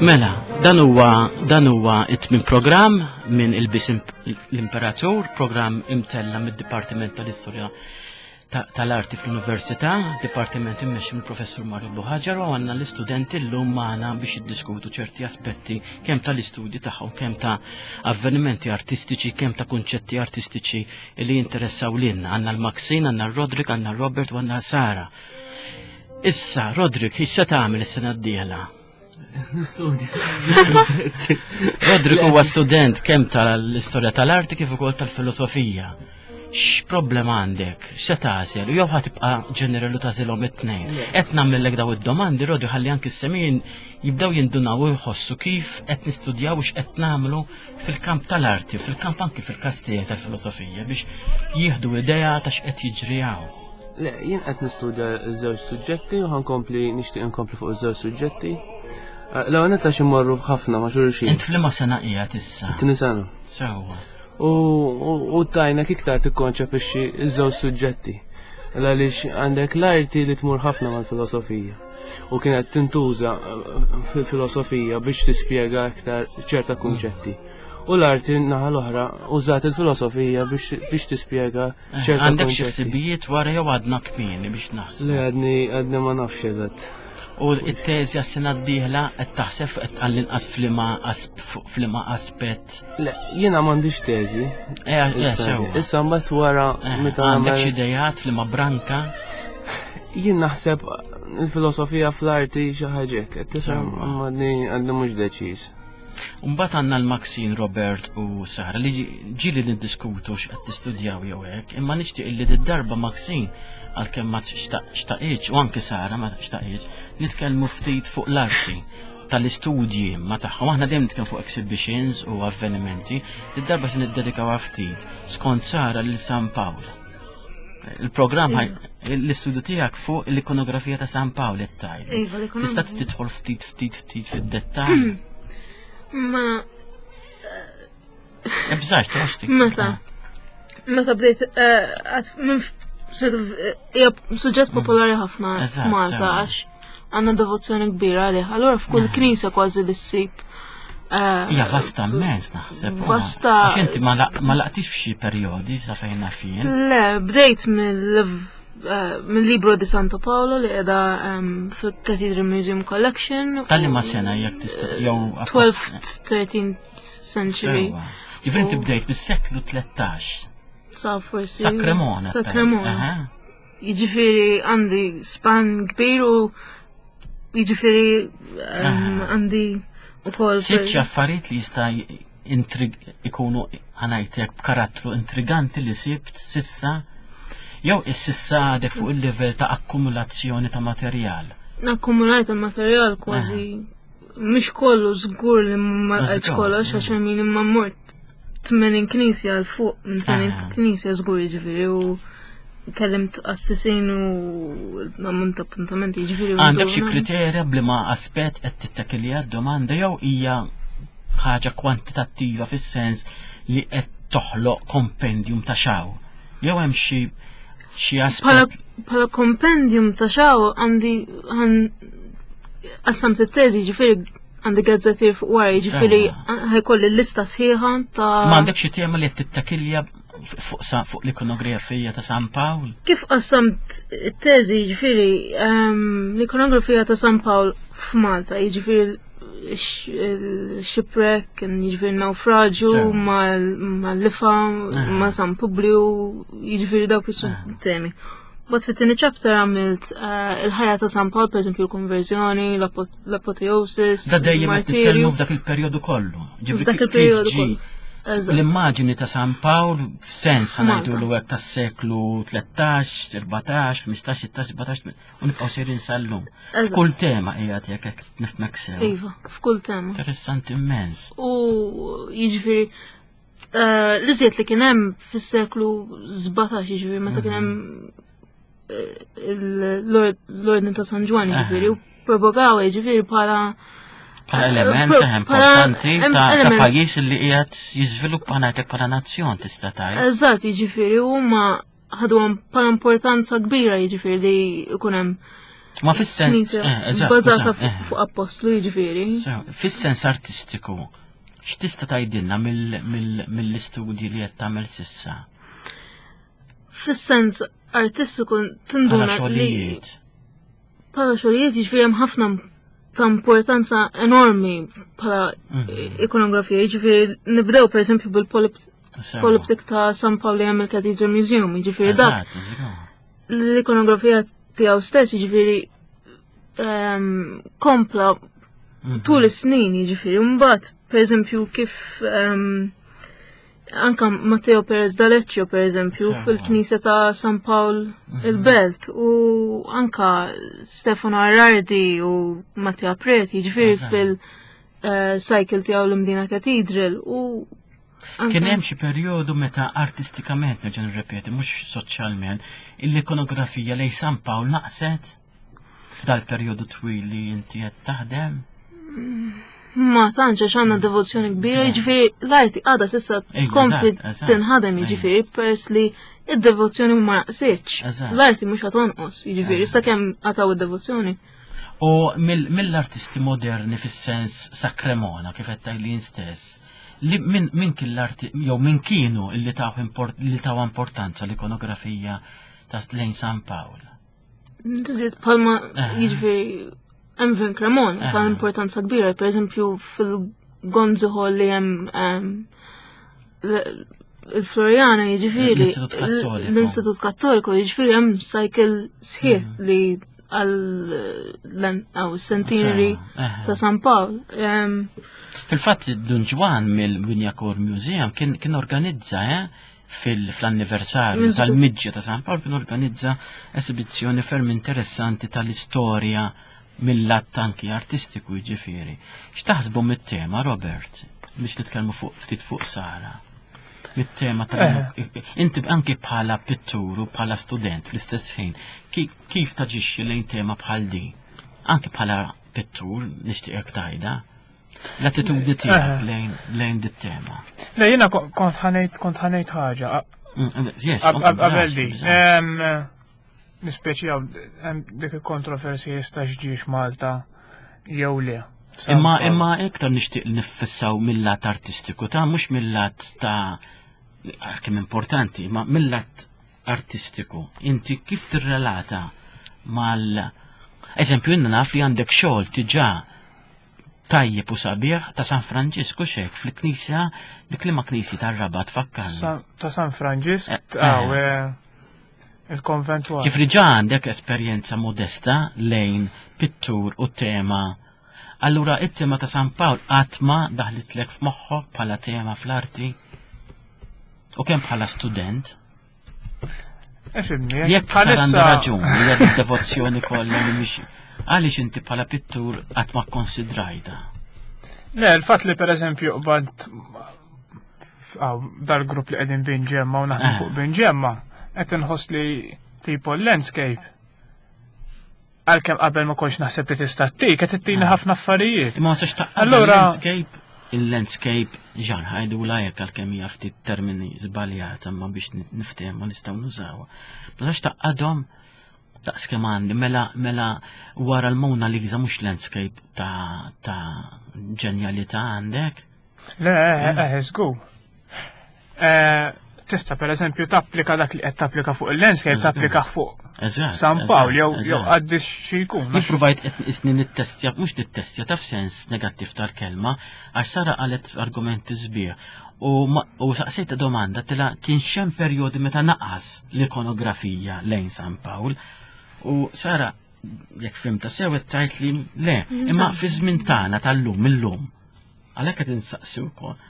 Mela, dan huwa dan huwa it-tmien programm minn il-bis l-Imperatur, programm imtella mid-Dipartiment tal-Istorja tal-Arti fl-Università, dipartiment immexxi mill-Professur Mario Buħaġar u għandna l-istudenti llum magħna biex jiddiskutu ċerti aspetti kemm tal-istudji tagħhom, kemm ta' avvenimenti artistiċi, kemm ta' kunċetti artistiċi li jinteressaw lilna. Għandna l-Maxine, għandna l-Rodrik, għandna l-Robert u għandna Sara. Issa, Rodrik, issa tagħmel is-sena d-dieħla? Nistudja. Rodrik huwa student kemm tal-istorja tal-arti kif ukoll tal-filosofija. X'problema għandek? X'se tagħżel? U jew ħa tibqa' ġenerali u tagħżilhom it-tnejn. Qed nagħmellek daw id-domandi, Rodri, ħalli anki s-semin jibdew jindunaw u jħossu kif qed nistudjaw u x'qed nagħmlu fil-kamp tal-arti, fil-kamp anki fil-każ tiegħi tal-filosofija biex jieħdu idea ta' x'qed jiġri hawn. Le, jien qed nistudja żewġ suġġetti u ħankompli nixtieq inkompli fuq iż-żewġ suġġetti. Eh, l-ewwel netta xi morru ħafna ma' xulxin. Int f'liema sena qiegħed issa? Tieni sena. Sewwa. U tajnek iktar tikkonċepixxi iż-żewġ suġġetti. Għaliex għandek l-arti li tmur ħafna mal-filosofija u kienet tintuża eh, fil-filosofija biex tispjega iktar ċerta kunċetti. U l-arti naħa l-oħra użat il-filosofija biex tispjega eh, Għandek xi ħsibijiet wara jew għadna kmieni biex naħseb? Le għadni għadni ma nafx eżatt. U t-teżi għas-sena d-dieħla qed taħseb qed għall-inqas f'liema aspett. Le, jiena m'għandix teżi. Eh, eh, sewa. Issa mbagħad wara eh, meta għandek xi idejat li ma branka. Jien naħseb il-filosofija fl-arti xi ħaġa hekk, qed tisem għadni mhux deċiż. Mbagħad għandna l-Maxine, Robert u Sara li ġieli niddiskutu x'qed tistudjaw jew hekk, imma nixtieq li d-darba Maxine għalkemm ma xtaqitx u anke Sara ma xtaqitx, nitkellmu ftit fuq l-arti tal-istudji ma tagħhom. Aħna dejjem nitkellmu fuq exhibitions u avvenimenti, id-darba se niddedikaw ftit skont Sara lil San Pawl. Il-programm l-istudju tiegħek fuq l-ikonografija ta' San Pawl qed tgħid. Iva, Tista' tidħol ftit ftit ftit fid-dettall. Ma Ebżax, toqgħodx Meta? Meta bdejt eh, minn sort of eh, hija suġġett mm. popolari ħafna f'Malta għax għandna devozzjoni kbira għalih. Allura f'kull mm. knisja kważi li ssib Eh, Hija vasta immens naħseb. Vasta. Għax inti ma laqtix f'xi perjodi sa fejn naf jien. Le, bdejt mill eh, mill-Libro di Santo Paolo li qiegħda ehm, fil-Cathedral Museum Collection. Tal-li ma sena jekk tista' jew 12th 13th century. Jiġifieri inti bdejt bis-seklu 13. Sa forsi. Sa Cremona. Sa Cremona. Jiġifieri għandi span kbir u jiġifieri ehm, għandi ukoll. Sibt xi affarijiet li jista' intrig ikunu ħanajtek b'karattru intriganti li sibt sissa jew is-sissa għadek fuq il-livell ta' akkumulazzjoni ta' materjal. Akkumulajt il-materjal kważi mhux kollu żgur li ma lqajtx kollox għax min imma mort 80 knisja għal fuq minn 80 ah. knisja żgur jiġifieri u kellimt assisin u ammont appuntamenti jiġifieri. Għandek xi kriterja b'liema aspett qed tittakilja d-domanda jew hija ħaġa kwantitattiva fis-sens li qed toħloq kompendium ta' xaw. Jew hemm xi xi aspett. Bħala kompendium ta' xaw għandi qasamt it-teżi ġifieri Għandi gazzettir fuq wara, jiġifieri ħajkolli lista sħiħa ta' Ma għandek xi tema li qed tittakilja fuq fuq l-ikonografija ta' San Pawl? Kif qassamt it-teżi, jiġifieri ehm, l-ikonografija ta' San Pawl f'Malta, jiġifieri il-shipwreck, jiġifieri naufraġju mal-lifa, eh. ma' San Publiu, jiġifieri dawk is-temi. Eh. Bat fit-tieni chapter għamilt eh, il-ħajja ta' San Pawl, per eżempju, l-konverżjoni, l-apoteosis. Da dejjem qed nitkellmu f'dak il-perjodu kollu. F'dak il-perjodu kollu. L-immaġini ta' San Pawl f'sens ħanajdu l hekk tas-seklu 13, 14, 15, 16, 17 u nibqgħu sejrin sal-lum. F'kull tema qiegħed jekk hekk nifhmek sew. Iva, f'kull tema. Interessanti immens. U jiġifieri eh, li żied li kien hemm fis-seklu 17 jiġifieri meta kien hemm mhm. l-ordni ta' San Ġwan jiġifieri u propagaw jiġifieri bħala bħala element eh, importanti ta' pajjiż li qiegħed jiżviluppa ngħidlek bħala nazzjon tista' tgħid. Eżatt, jiġifieri huma ħadhom bħala importanza kbira jiġifieri li jkun hemm. Ma fis-sens eh, bażata eh. fuq appostlu jiġifieri. Fis-sens artistiku, x'tista' tgħidilna mill-istudji li qed tagħmel sissa? Fis-sens artistiku tinduna li bħala xogħlijiet jiġifieri hemm ħafna ta' importanza enormi bħala mhm. ikonografija, jiġifieri nibdew pereżempju bil-poliptik ta' San Pawl li hemm il-Cathedral Museum, jiġifieri dak. L-ikonografija tiegħu stess, jiġifieri ehm, kompla mhm. tul is-snin, jiġifieri mbagħad pereżempju kif ehm, anka Matteo Perez D'Aleccio per eżempju fil-knisja ta' San Pawl mhm. il-Belt u anka Stefano Arardi u Mattia Preti ġifieri fil-cycle eh, tiegħu l-Imdina Cathedral u Kien hemm xi perjodu meta artistikament nerġa' nirrepeti mhux soċjalment, l-ikonografija lej San Pawl naqset f'dal-perjodu twil li inti qed taħdem? Ma tantx għax għandna devozzjoni kbira, jiġifieri l-arti għadha s'issa tkompli tinħadem jiġifieri peress li id-devozzjoni ma naqsitx. L-arti mhux qed tonqos, jiġifieri sakemm qataw id-devozzjoni. U mill-artisti moderni fis-sens sa Cremona kif qed tgħid stess, li min kien l-arti jew min kienu li taw li taw importanza l-ikonografija ta' lejn San Pawl. Tiżied bħalma eh. jiġifieri Envin Cremon eh. ta' importanza kbira, per eżempju fil-Gonzi Hall li hemm ehm, il-Floriana jiġifieri l-Istitut Kattoliku jiġifieri hemm cycle sħiħ mm. li għal centenary eh. ta' San Pawl. Ehm, Fil-fatt Dun Ġwan mill-Winjakor Museum kien organizza eh, fil-anniversarju tal-miġja ta' San Pawl kien organizza esibizzjoni ferm interessanti tal-istorja mill-lat anki artistiku jiġifieri. X'taħsbu mit-tema, Robert, biex nitkellmu fuq ftit fuq Sara? Mit-tema ta' eh. inti anki bħala pittur u bħala student fl-istess ħin, kif taġixxi lejn tema bħal di? Anki bħala pittur nixtieqek tajda. L-attitudni tiegħek eh. lejn lejn dit-tema. Le jiena kont ħanejt kont ħanejt ħaġa. Mm, mm, qabel di. Nispeċi dik il-kontroversji jista' ġiex Malta jew le. Imma imma iktar nixtieq nifissaw mill-lat artistiku ta' mhux mill-lat ta' kemm importanti, ma mill-lat artistiku. Inti kif tirrelata mal Eżempju, inna naf li għandek xogħol tiġà tajjeb u sabiħ ta' San Franġisku xek fil-knisja dik li ma knisji tar-Rabat fakkarni. Ta' San Franġisk, eh, eh. eh, il-konventual. Ġifri ġa għandek esperjenza modesta lejn pittur u tema. Allura it-tema ta' San Pawl qatt ma daħlitlek f'moħħok bħala tema fl-arti u kemm bħala student. Ifimni, Jekk sar għandu raġun, li għad devozzjoni kollha li mhix għaliex inti bħala pittur qatt ma kkonsidrajta. Le, il-fatt li pereżempju qbad dal-grupp li qegħdin binġemma u naħdmu eh. fuq binġemma, qed inħoss li tipo landscape Għalkemm qabel ma kontx naħseb li tista' ttik, qed ittini ah. ħafna affarijiet. Ma tistax taqqa' Allura landscape il-landscape ġan ħajdu la jekk għalkemm hija ftit termini żbaljata ma biex niftehmu nistgħu nużawha. Ma tistax taqqadhom daqs kemm għandi mela mela wara l-Mona Lisa mhux landscape ta' ta' ġenjalità għandek. Le, eh, eh, żgur. Eh, tista' pereżempju tapplika dak li qed tapplika fuq il-landscape tapplika fuq San Pawl jew jew għaddix xi jkun. Jippruvajt qed isni nittestja, mhux nittestja taf sens negattiv tal-kelma, għax Sara qalet argumenti sbieħ. U saqsejta domanda tila kien xem perjodi meta naqas l-ikonografija lejn San Pawl. U Sara jekk fimta sew qed tgħid li le, imma fi żmien tagħna tal-lum illum. Għalhekk qed insaqsi wkoll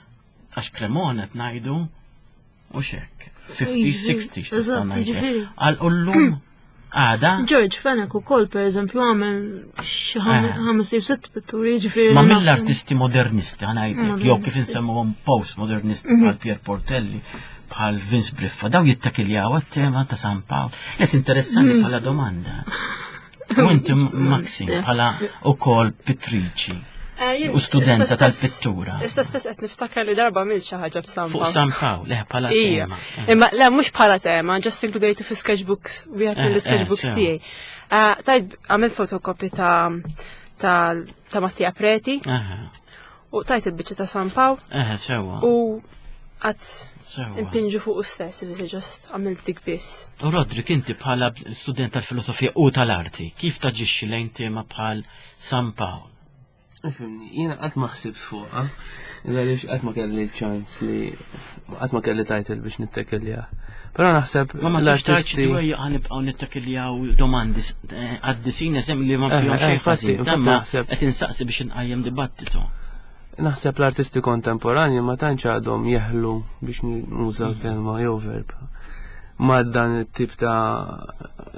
għax Cremona qed ngħidu u xek. 50s, 60s tista' ngħid. Għal ullum għada. George Fenech ukoll pereżempju għamel xi eh. ħames jew sitt pitturi jiġifieri. Ma mill-artisti modernisti ħanajdlek, jew kif insemmuhom post-modernisti mhm. bħal Pier Portelli, bħal Vince Briffa, daw jittakiljaw għat-tema ta' San Pawl. Qed interessanti mhm. bħala domanda. U inti Maxi bħala ukoll pittriċi. Eh, u studenta tal-pittura. Issa stess qed niftakar li darba għamilt xi ħaġa b'San Fuq San Pawl, le bħala tema. Eh. Imma le mhux bħala tema, just inkludejtu fi sketchbooks, wieħed eh, mill-sketchbooks tiegħi. Tajt għamilt fotokopi ta' ta' Mattia Preti. U tajt il-biċċa ta' San Pawl. Eħe, sewa. U għat impinġu fuq u stess, li ġost għamilt dik biss. U Rodrik, inti bħala student tal-filosofija u tal-arti, kif taġixxi lejn tema bħal San Pawl? Ifimni, jiena qatt ma ħsibt fuqha, għaliex qatt ma kelli ċans li qatt ma kelli title biex nittekilja. Però naħseb ma ma l-artisti ħanibqgħu nittakiljaw domandi eh, għaddisin eżem li ma eh, fihom eh, xejn ħażin. Naħseb qed insaqsi biex inqajjem dibattitu. Naħseb l-artisti kontemporanji ma tantx għadhom jeħlu biex nuża mm. kelma jew verb ma dan it-tip ta'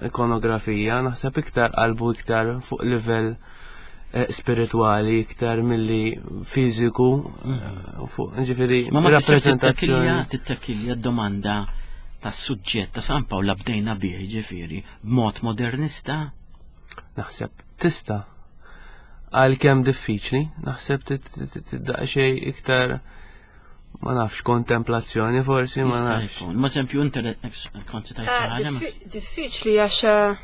ikonografija, naħseb iktar qalbu iktar fuq livell eh, spiritwali iktar milli fiżiku mm. eh, fuq ġifieri rappreżentazzjoni. Tittakilja domanda tas suġġett ta' San Pawl bdejna bih ġifieri b'mod modernista? Naħseb tista' għalkemm diffiċli, naħseb xej iktar ma nafx kontemplazzjoni forsi ma nafx. Ma sempju inti kont tajt eh, ħaġa. Diffiċli għax eh,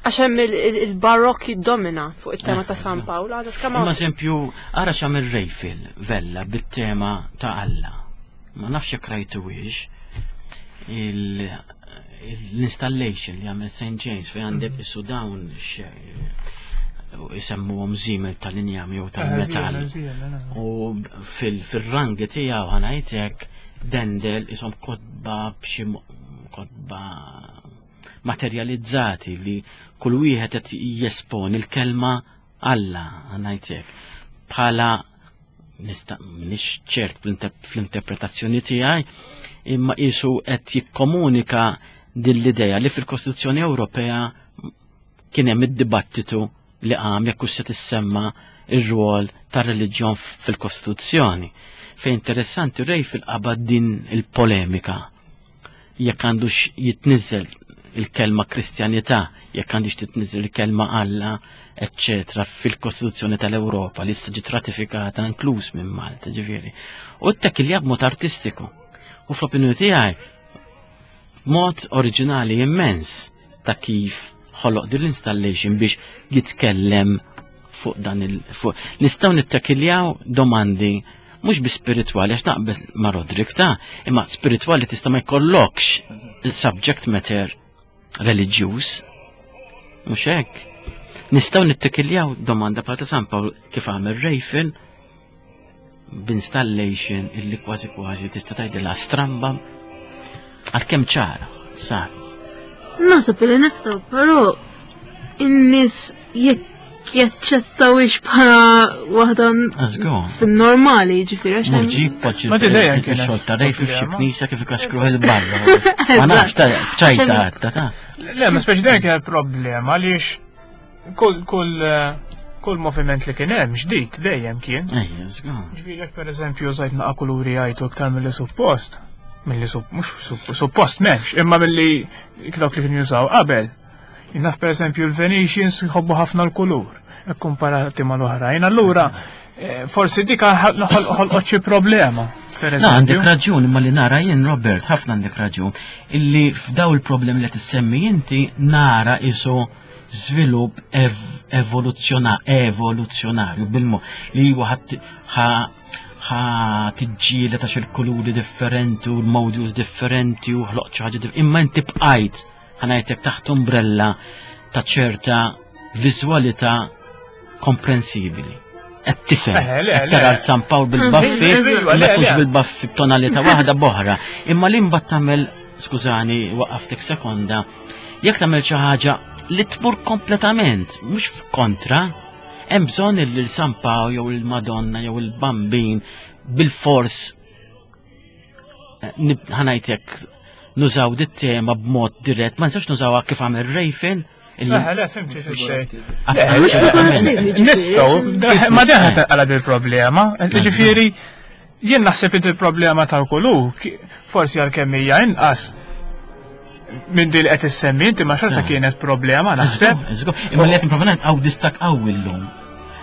għax hemm il-barokk jiddomina fuq it-tema ta' San eh, Pawl, għadha skama. Ma sempju ara x'għamel Rejfil Vella bit-tema ta' Alla. Ma nafx jekk rajtu l-installation li għamel St. James fej għandek mhm. isu dawn jisemmuhom żiemel tal-injam jew tal-metall. U fil-rangi tiegħu ħanajtek dendel isom kotba b'xi kotba materializzati li kull wieħed qed jesponi l-kelma Alla ħanajtek bħala nista' m'iniex ċert fl-interpretazzjoni tiegħi, imma qisu qed jikkomunika din l-idea li fil-Kostituzzjoni Ewropea kien hemm id-dibattitu li qam jekk se tissemma ir-rwol tar-reliġjon fil-Kostituzzjoni. Fejn interessanti rej fil-qabad din il-polemika jekk għandux jitniżel il-kelma Kristjanità, jekk għandix titniżel il-kelma Alla, eccetera, fil-Kostituzzjoni tal-Ewropa li issa ġiet ratifikata inkluż minn Malta, ġifieri. U t-tekilja b'mod artistiku. U fl-opinjoni tiegħi mod oriġinali immens ta' kif ħoloq din l-installation biex jitkellem fuq dan il fuq. Nistgħu nittakiljaw domandi mhux bi spiritwali għax naqbel ma' Rodrik ta' imma spiritwali tista' ma jkollokx il-subject matter reliġjuż. Mhux hekk. Nistgħu nittakiljaw domanda bħal ta' San Pawl kif għamel Rejfin b'installation illi kważi kważi tista' tgħidilha stramba għalkemm ċara, sar. Naħseb li nistgħu, però in-nies jekk jaċċettawix bħala waħda fin-normali, ġifieri għax. Murġib poġġi. Ma dejjem kien xogħol ta' rej fi xi knisja kif ikaxkruh il-barra. Ma nafx ta' ċajta ta' ta'. Le, ma speċi dejjem kien problema għaliex Kull kull kull moviment li kien hemm ġdid dejjem kien. Ejja, żgur. Ġifieri jekk pereżempju użajt naqa' kuluri għajtu iktar milli suppost, milli mhux suppost m'hemmx, imma milli dawk li kienu jużaw qabel. Naf pereżempju l-Venetians jħobbu ħafna l-kulur komparati mal-oħrajn, allura eh, forsi dik ħolqot xi problema. Na, għandek raġun, imma li nara jien Robert, ħafna għandek raġun, illi f'daw il-problemi li tissemmi inti nara isu żvilupp evoluzzjonarju bil-mod li huwa ħa tiġġieled għax il-kuluri differenti u l-modules differenti u ħloqt xi ħaġa imma inti bqajt ħanajtek taħt umbrella ta' ċerta viżwalità komprensibili. Qed tifhem, qed tara l-San Pawl bil-baffi, ma jkunx bil-baffi b'tonalità waħda b'oħra. Imma li mbagħad tagħmel, skużani, waqaftek sekonda, Jekk tagħmel xi ħaġa li tmur kompletament, mhux kontra, hemm bżonn li l-San Paw jew il-Madonna jew il-Bambin bil-fors eh, ħanajtek nużaw dit tema b'mod dirett, ma nistax nużawha kif għamel Rejfin. Le, le, fimti Nistgħu, ma deħa taqala dil-problema, ġifieri Jien naħseb li il-problema tal-kulu, forsi għalkemm hija inqas minn din li qed issemmi inti ma xorta kienet problema naħseb. Imma li qed nipprova ngħid hawn distak qawwi llum.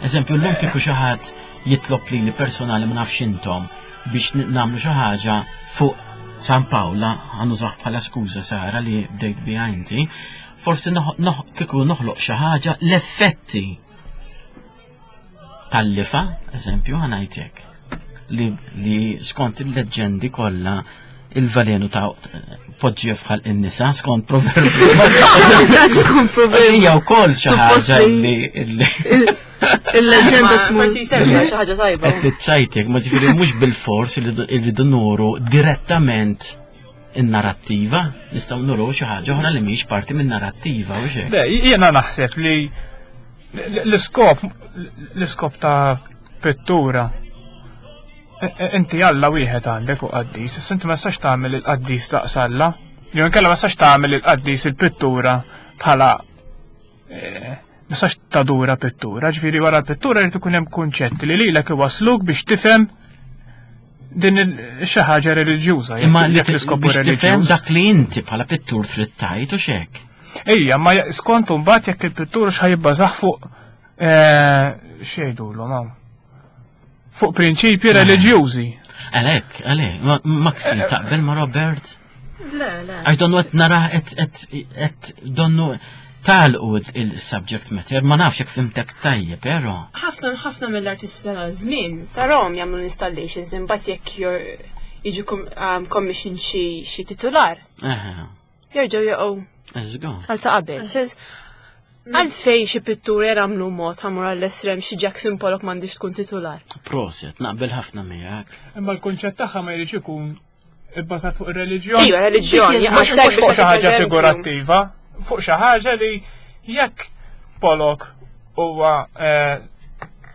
Eżempju, llum kieku xi ħadd jitlob lili personali ma nafx intom biex nagħmlu xi ħaġa fuq San Pawla, ħanużah bħala skuża Sara li bdejt biha inti, forsi kieku noħloq xi ħaġa l-effetti tal-lifa, eżempju, ħanajtek, li, li skont il-leġġendi kollha il-valenu ta' poġġi fħal in-nisa skont proverbju. Skont proverbju. Hija wkoll xi ħaġa li il-leġenda tmur. Forsi jservi xi ħaġa tajba. Qed tiċċajtek, ma ġifieri mhux bil-fors li rridu nuru direttament in-narrattiva, nistgħu nuru xi ħaġa oħra li mhix parti minn narrattiva u xejn. Le, jiena naħseb li l-iskop l-iskop ta' pittura e, e, inti Alla wieħed għandek u qaddis, issa inti ma tistax tagħmel il-qaddis daqs Alla. Jew inkella ma tistax tagħmel il-qaddis il-pittura bħala e, ma tistax tadura pittura, ġifieri wara l-pittura jrid ikun hemm kunċetti li lilek iwasluk biex tifhem din xi ħaġa reliġjuża. Imma li l-iskop reliġjuż. Dak li inti bħala pittur trid tgħid u xek. Ejja, ma skont mbagħad jekk il-pittur x'ħajibbażaħ fuq eh, x'jgħidulhom hawn. Fuq prinċipji eh. reliġjużi. Għalhekk, għalhekk, Maxi eh, taqbel ma' Robert? Le, le. Għax donnu qed nara qed donnu talqu il-subject matter, ma nafx jekk fimtek tajjeb, però. Ħafna ħafna mill-artisti tal-żmien tarahom jagħmlu installations imbagħad jekk jiġu um, commission xi titular. Jerġgħu jaqgħu. Għal ta' qabel. Għalfejn xi pitturi jagħmlu mod ħamur għall-estrem xi Jackson Pollock m'għandix tkun titular. Proset, naqbel ħafna miegħek. Imma l-kunċett tagħha ma jridx ikun ibbażat fuq ir-reliġjon. Iva, reliġjon, mhux fuq xi ħaġa figurattiva, fuq xi ħaġa li jekk Pollock huwa eh,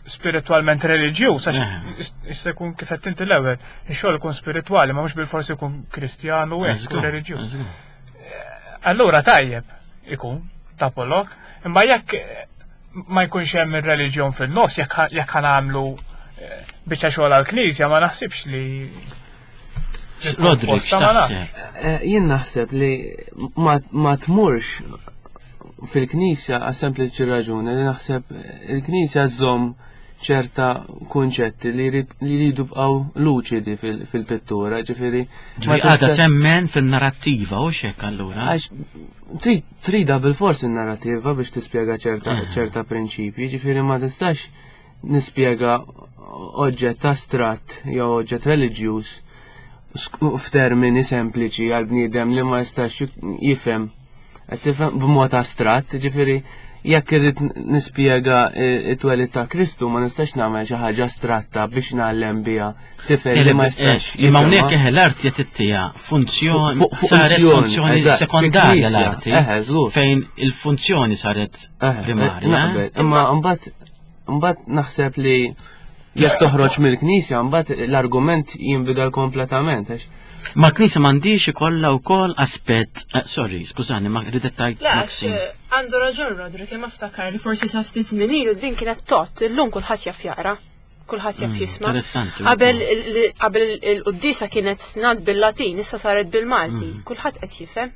spiritualment reliġjuż, għax eh. issa jkun kif qed inti l-ewwel, ix-xogħol ikun spiritwali, ma mhux bil-forsi jkun Kristjanu u hekk reliġjuż. Eh, allura tajjeb ikun ta' Pollock, imma jekk ma jkunx hemm ir-reliġjon fin-nofs jekk ħanamlu biċċa xogħol għall-Knisja ma naħsibx li Rodrik, x'taħseb? Eh, jien naħseb li ma tmurx fil-knisja għas sempliċi raġuni li naħseb il-knisja żomm ċerta kunċetti li jridu bqgħu luċidi fil-pittura, ġifieri. Ġifieri għadha temmen fil-narrattiva u xek allura. Għax trida bil-fors in-narrattiva biex tispjega ċerta eh. ċerta prinċipji, ġifieri ma tistax nispjega oġġett astratt jew oġġett reliġjuż f'termini sempliċi għal bniedem li ma jistax jifhem qed tifhem b'mod astratt, ġifieri jekk irrid nispjega it-twelid ta' Kristu ma nistax nagħmel xi ħaġa astratta biex ngħallem biha tifel li ma jistax. Imma hawnhekk eħe l-art qed ittija funzjoni saret funzjoni sekondarja l-arti. Fejn il-funzjoni saret primarja. Imma mbagħad Mbagħad naħseb li jekk toħroġ mill-knisja mbagħad l-argument jinbidel kompletament. Ma l-knisja m'għandix ikollha wkoll aspett, eh, sorry, skużani, ma ridet tajt. Eh, għandu raġun Rodri, kemm aftakar li forsi sa ftit żmien ilu din kienet tot, illum kulħadd jaf jaqra kulħadd jaf mm, jisma'. Interessanti. Qabel il-quddisa kienet snad bil-Latin, issa saret bil-Malti. Mm. Kulħadd qed jifhem.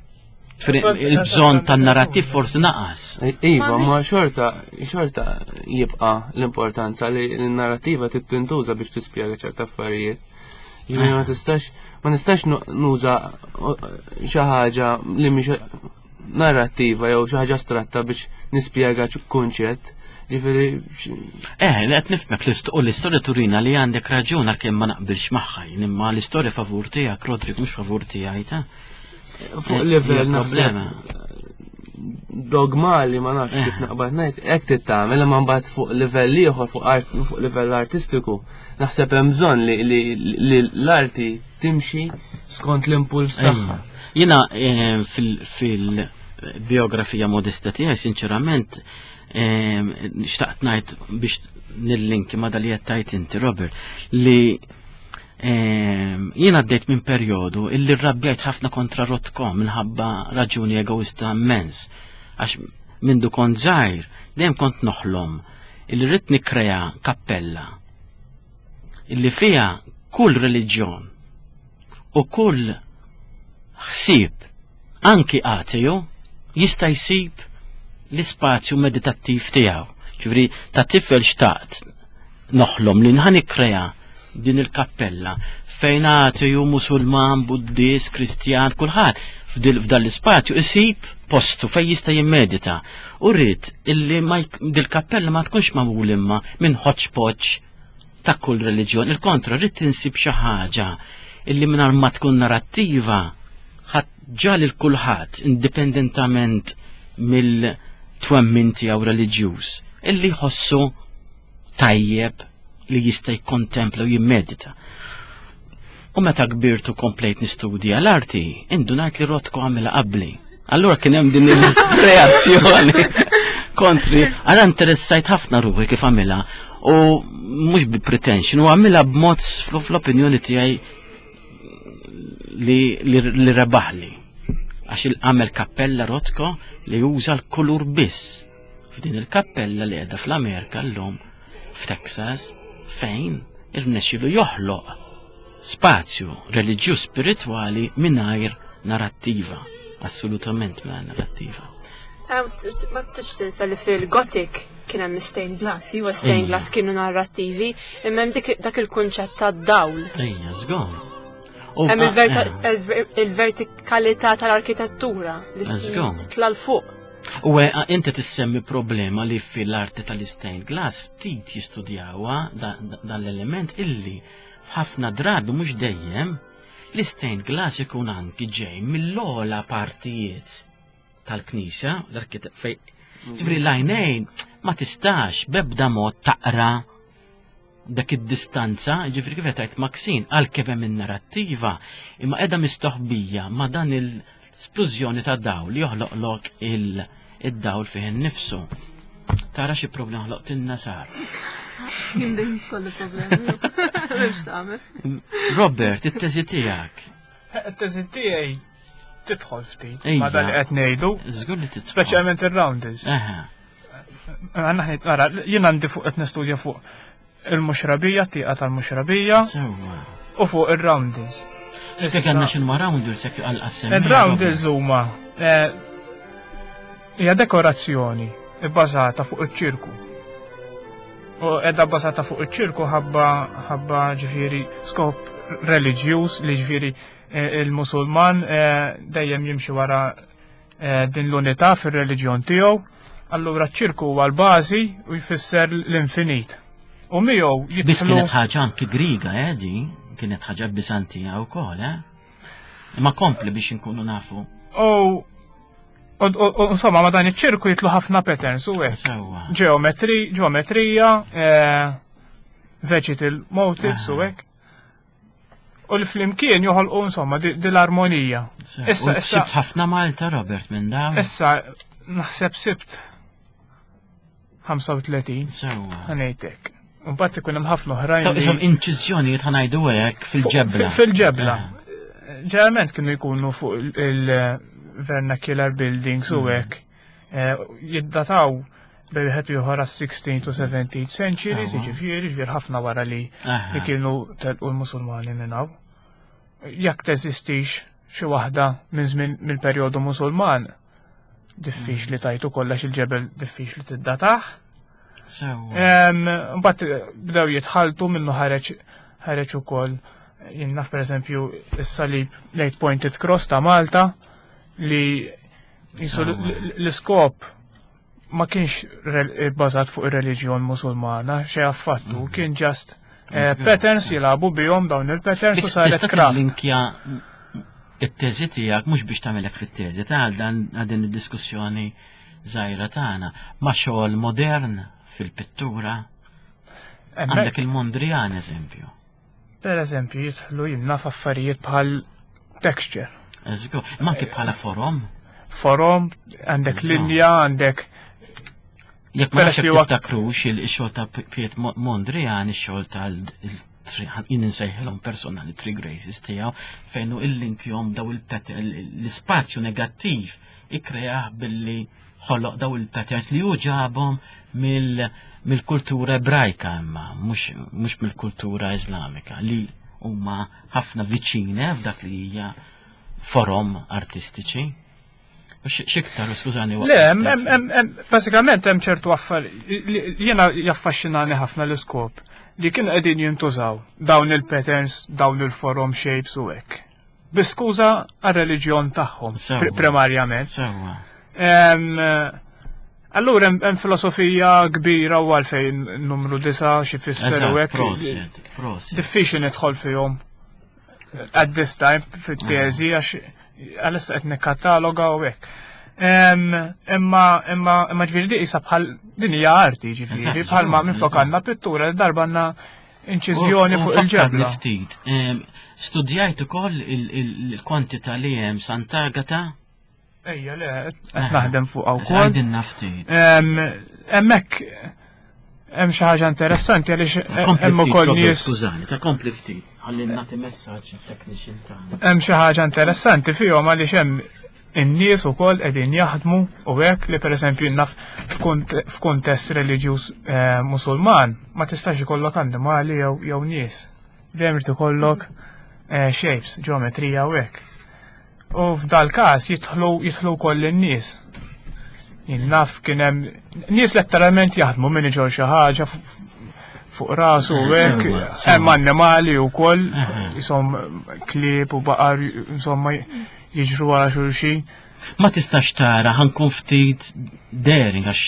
Il-bżon tan-narrattiv forsi naqas. Iva, ma xorta, xorta jibqa l-importanza li l-narrativa tintuża biex tispjega ċerta affarijiet. Ġifieri ma tistax, ma nistax nuża xi ħaġa li mhix narrattiva jew xi ħaġa astratta biex nispjega kunċett. Ġifieri. Eh, li qed nifhmek u l-istorja turina li għandek raġun għalkemm ma naqbilx magħha, imma l-istorja favur tiegħek, Rodrik mhux favur tiegħi ta' Fuq eh, livell naħseb dogmali ma nafx kif eh. naqbad ngħid, hekk tittamel imma mbagħad fuq livell ieħor fuq art fuq livell artistiku naħseb hemm bżonn li l-arti timxi skont l-impuls tagħha. Jiena eh, fil-biografija modesta tiegħi sinċerament xtaqt ngħid biex nillinki ma dal qed tajt inti Robert li Ehm, jien għaddejt minn perjodu illi rrabjajt ħafna kontra Rotko minħabba raġuni egoista immens. Għax mindu kont żgħir dejjem kont noħlom illi rrid nikkrea kappella illi fiha kull reliġjon u kull ħsieb anki ateju jista' jsib l-ispazju meditattiv tiegħu. Ġifieri ta' tifel xtaqt noħlom li nħan ikkrea din il-kappella fejn ateju, musulman, buddist, kristjan, kulħadd f'dan l-ispazju isib postu fejn jista' jimmedita. U rrid illi dil-kappella ma tkunx magħmul imma minn hodgepodge ta' kull reliġjon. Il-kontra, rrid tinsib xi ħaġa illi mingħajr ma tkun narrattiva ġa lil kulħadd indipendentament mill-twemmin tiegħu reliġjuż illi jħossu tajjeb li jista' jikkontempla u jimmedita. U meta kbirtu komplejt nistudja l-arti, indunajt li Rotko għamilha qabli. Allura kien hemm din il-reazzjoni kontri. Għala interessajt ħafna ruħi kif għamilha u mhux bi pretension, u għamilha b'mod fl-opinjoni tiegħi li, li, li rebaħli. Għax il-għamel kappella Rotko li juża l-kulur biss. F'din il-kappella li qiegħda fl-Amerika llum f'Texas fejn irnexxielu joħloq spazju reliġjuż spiritwali mingħajr narattiva, assolutament mingħajr narattiva. Ma tix tinsa li fil-Gothic kien hemm stained glass, iwa stained glass kienu narrattivi, imma hemm dak il-kunċett ta' dawl. Ejja, żgur. Hemm il-vertikalità tal-arkitettura li titla' l fuq. U eh, inti tissemmi problema li fil-arti tal-stained glass ftit jistudjawha dan l-element illi f'ħafna drabi mhux dejjem l-stained glass ikun anki ġej mill-ogħla partijiet tal-knisja, l-arkitett fej. Ġifri l-għajnejn ma tistax bebda mod taqra dak id-distanza, ġifri kif qed Maxine, għalkemm hemm in-narrattiva, imma qiegħda mistoħbija ma' dan il-splużjoni ta' dawl li joħloqlok il-dawl fih innifsu. Tara xi problema ħloqtilna sar. Jien dejjem kollu problemi. M'hemmx tagħmel. Robert, it-teżi tiegħek. It-teżi tiegħi tidħol ftit ma dan li qed ngħidu. Żgur li tidħol. Speċjalment ir-rounders. Ara, jien għandi fuq qed nistudja fuq il-muxrabija, tieqa tal-muxrabija. U fuq ir-rounders. Spjegalna x'inhuma rounders jekk għal-qassem. Ir-rounders huma eh, hija dekorazzjoni bbażata fuq iċ-ċirku. U edha bbażata fuq iċ-ċirku ħabba ħabba ġifieri skop reliġjuż li ġifieri eh, il-Musulman eh, dejjem jimxi wara Eh, din l-unità fir-reliġjon tiegħu, allura ċ-ċirku huwa l-bażi u jfisser l-infinit. U miegħu jidħlu. Biss kienet ħaġa anki Griega, eh, di, kienet ħaġa Bizantija wkoll, eh? Imma kompli biex inkunu nafu. U insomma, ma dan iċ-ċirku jitlu ħafna patterns u hekk. Ġeometri, ġeometrija, eh, vegetal motifs u hekk. U li flimkien joħolqu insomma di l-armonija. Issa, issa. Sibt ħafna Malta, Robert, minn dawn. Issa, naħseb sibt 35. Sewa. Ħanejtek. Mbagħad ikun hemm ħafna oħrajn. Ta' isom inċiżjonijiet ħanajdu hekk fil-ġebla. Fil-ġebla. Eh. Ġeneralment kienu jkunu fuq il-vernacular buildings u mm. hekk. Eh, jiddataw bej wieħed ieħor għas-16 to 17th centuries, jiġifieri ġifier ħafna wara li li kienu telqu l-Musulmani minn hawn. Jekk teżistix xi waħda minn żmien mill-perjodu Musulman, diffiċli mm. tajtu kollox il-ġebel diffiċli tiddatah. Mbagħad eh, bdew jitħaltu minnu ħareġ ħareġ ukoll jien naf pereżempju is-salib l-Eight Pointed Cross ta' Malta li L-iskop ma kienx bbażat fuq ir-reliġjon Musulmana, xejn affattu, mm. kien just eh, patterns jilagħbu bihom dawn il-patterns u saret craft. Linkja it-teżi tiegħek mhux biex tagħmelek fit-teżi ta' dan din id-diskussjoni żgħira tagħna ma' xogħol modern fil-pittura. Għandek il-Mondrian eżempju. Per eżempju, jidħlu jilna f'affarijiet bħal texture. Eżgu, ma anke bħala forom. Forom, għandek linja, għandek Jekk ma nafx tiftakrux il-xogħol ta' Piet Mondrian, ix-xogħol tal jien insejħilhom personali Three Graces tiegħu fejn hu illinkjhom daw il-pattern l-ispazju negattiv ikkreah billi ħoloq daw il-patterns li hu ġabhom mill-kultura ebrajka imma mhux mill-kultura Iżlamika li huma ħafna viċine f'dak li hija forom artistiċi. Xiktar, skużani. Le, basikament hemm ċertu affarijiet jiena jaffaxxinani ħafna l-iskop li kienu qegħdin jintużaw dawn il-patterns, dawn il-forom shapes u hekk. Bi skuża għar-reliġjon tagħhom primarjament. Sewwa. Allura hemm filosofija kbira u għalfejn numru disa' xi fisser u hekk. Diffiċli nidħol fihom at this time fit-teżi għax għalissa qed nikkataloga u hekk. Imma imma imma ġifieri di qisha bħal din hija arti ġifieri bħalma minflok għandna pittura darba għandna inċiżjoni fuq il-ġebla. Ftit. Studjajt ukoll il-kwantità li hemm Sant'Agata Ejja, le, qed naħdem fuq wkoll. Għajdilna ftit. Hemmhekk hemm xi ħaġa interessanti għaliex hemm ukoll nies. Skużani, ta' kompli ftit, ħalli nagħti messaġġ it-technician tagħna. Hemm xi ħaġa interessanti fihom għaliex hemm in-nies ukoll qegħdin jaħdmu u hekk li pereżempju naf f'kuntest reliġjuż eh, Musulman ma tistax ikollok annimali jew nies. Dejjem irid ikollok eh, shapes, ġeometrija u hekk. U f'dal-każ jidħlu jidħlu wkoll in-nies. Jien naf kien hemm nies letteralment jaħdmu min iġor xi ħaġa fuq rasu u hekk, hemm annimali wkoll, jisom klieb u baqar insomma jiġru wara xulxin. Ma tistax tara ħankun ftit daring għax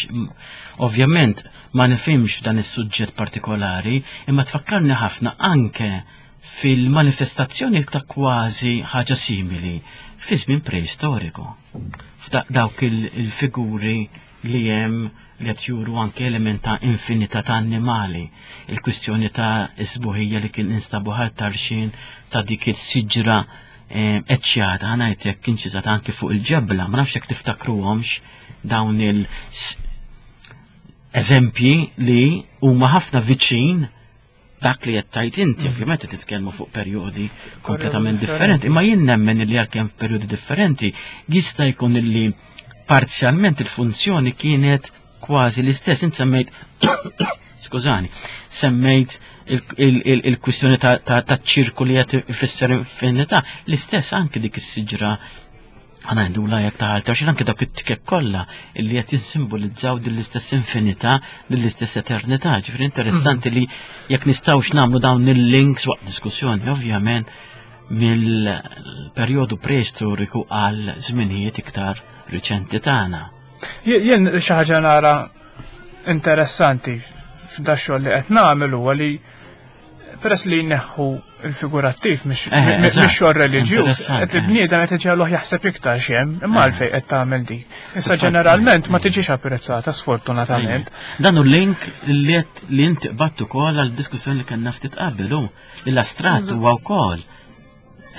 ovvjament ma nifhimx dan is-suġġett partikolari, imma tfakkarni ħafna anke fil-manifestazzjoni ta' kważi ħaġa simili fi żmien preistoriku. F'dawk il-figuri li hemm li qed juru anke element ta' infinità ta' annimali, il-kwistjoni ta' isbuħija li kien instabu ħal tarxin ta' dik is-siġra eh, eċċjata, ngħid jekk inċiżat anke fuq il-ġebla, ma nafx jekk tiftakruhomx dawn il eżempji li huma ħafna viċin dak li qed tgħid inti, mm. ovvjament qed titkellmu fuq perjodi kompletament differenti, imma jien nemmen li għalkemm f'perjodi differenti jista' jkun illi parzjalment il-funzjoni kienet kważi l-istess, int semmejt skużani, semmejt il-kwistjoni ta' ċirku li qed ifisser infinità, l-istess anki dik is-siġra Għana la jek ta' għalta, xil anke dawk it-tikek kollha illi qed jinsimbolizzaw din l-istess infinità, din l-istess eternità. Ġifieri interessanti li jekk nistgħux nagħmlu dawn il-links waqt diskussjoni, ovvjament, mill-perjodu preistoriku għal żminijiet iktar riċenti tagħna. Jien xi ħaġa nara interessanti f'da xogħol li qed nagħmel huwa li Peress li jneħħu il-figurattiv mhix eh, xogħol reliġjuż, qed il-bniedem qed iġegħluh jaħseb iktar x'hemm, imma eh. għalfejn qed tagħmel dik. Issa ġeneralment ma tiġix apprezzata sfortunatament. Dan hu link li li inti qbadt ukoll għal diskussjoni li kellna ftit qabel hu li l-astrat huwa wkoll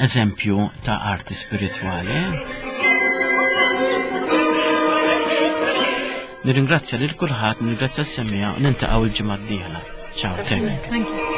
eżempju ta' arti spiritwali. Nirringrazzja lil kulħadd, nirringrazzja s-semija, nintaqgħu l-ġimgħa d-dieħla. Ciao, thank you.